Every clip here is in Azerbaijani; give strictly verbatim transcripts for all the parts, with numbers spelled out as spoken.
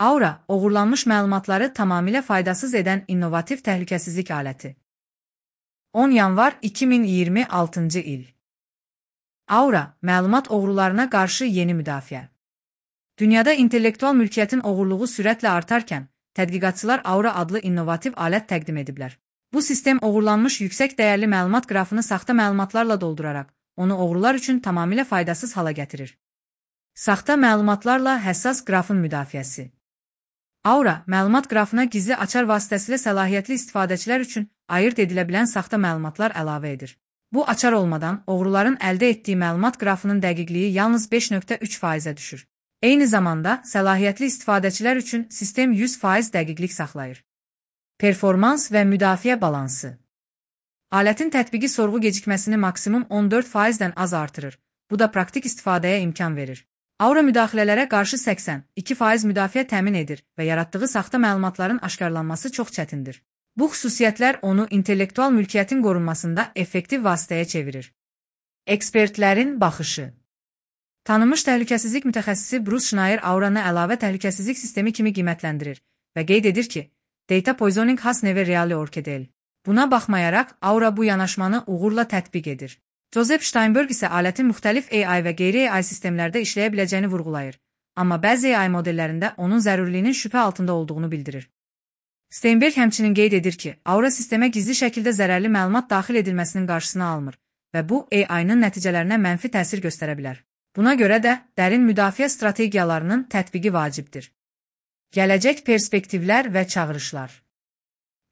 Aura, oğurlanmış məlumatları tamamilə faydasız edən innovativ təhlükəsizlik aləti. on yanvar iki min iyirmi altıncı il. Aura, məlumat oğrularına qarşı yeni müdafiə. Dünyada intellektual mülkiyyətin oğurluğu sürətlə artarkən, tədqiqatçılar Aura adlı innovativ alət təqdim ediblər. Bu sistem oğurlanmış yüksək dəyərli məlumat qrafını saxta məlumatlarla dolduraraq, onu oğrular üçün tamamilə faydasız hala gətirir. Saxta məlumatlarla həssas qrafın müdafiəsi. Aura, məlumat qrafına gizli açar vasitəsilə səlahiyyətli istifadəçilər üçün ayırt edilə bilən saxta məlumatlar əlavə edir. Bu açar olmadan, oğruların əldə etdiyi məlumat qrafının dəqiqliyi yalnız beş nöqtə üç faizə düşür. Eyni zamanda, səlahiyyətli istifadəçilər üçün sistem yüz faiz dəqiqlik saxlayır. Performans və müdafiə balansı. Alətin tətbiqi sorğu gecikməsini maksimum on dörd faizdən az artırır. Bu da praktik istifadəyə imkan verir. Aura müdaxilələrə qarşı səksən iki faiz müdafiə təmin edir və yaratdığı saxta məlumatların aşkarlanması çox çətindir. Bu xüsusiyyətlər onu intellektual mülkiyyətin qorunmasında effektiv vasitəyə çevirir. Ekspertlərin baxışı. Tanınmış təhlükəsizlik mütəxəssisi Bruce Schneier Auranı əlavə təhlükəsizlik sistemi kimi qiymətləndirir və qeyd edir ki, Data poisoning has never really worked değil. Buna baxmayaraq, Aura bu yanaşmanı uğurla tətbiq edir. Joseph Steinberg isə alətin müxtəlif A I və qeyri-A I sistemlərdə işləyə biləcəyini vurğulayır, amma bəzi A I modellərində onun zəruriliyinin şübhə altında olduğunu bildirir. Steinberg həmçinin qeyd edir ki, Aura sistemə gizli şəkildə zərərli məlumat daxil edilməsinin qarşısını almır və bu A I-nın nəticələrinə mənfi təsir göstərə bilər. Buna görə də dərin müdafiə strategiyalarının tətbiqi vacibdir. Gələcək perspektivlər və çağırışlar.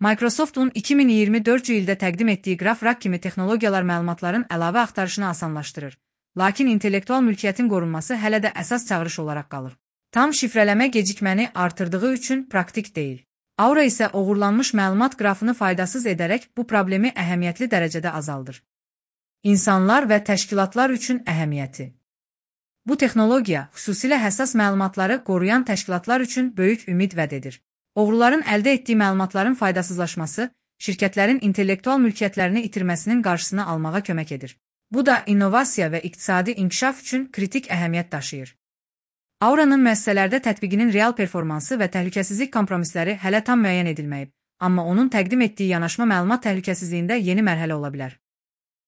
Microsoft'un iki min iyirmi dördüncü ildə təqdim etdiyi GraphRack kimi texnologiyalar məlumatların əlavə axtarışını asanlaşdırır. Lakin intellektual mülkiyyətin qorunması hələ də əsas çağırış olaraq qalır. Tam şifrələmə gecikməni artırdığı üçün praktik deyil. Aura isə oğurlanmış məlumat qrafını faydasız edərək bu problemi əhəmiyyətli dərəcədə azaldır. İnsanlar və təşkilatlar üçün əhəmiyyəti. Bu texnologiya xüsusilə həssas məlumatları qoruyan təşkilatlar üçün böyük ümid vəd edir. Oğruların əldə etdiyi məlumatların faydasızlaşması, şirkətlərin intellektual mülkiyyətlərini itirməsinin qarşısını almağa kömək edir. Bu da innovasiya və iqtisadi inkişaf üçün kritik əhəmiyyət daşıyır. Aura'nın müəssisələrdə tətbiqinin real performansı və təhlükəsizlik kompromisləri hələ tam müəyyən edilməyib, amma onun təqdim etdiyi yanaşma məlumat təhlükəsizliyində yeni mərhələ ola bilər.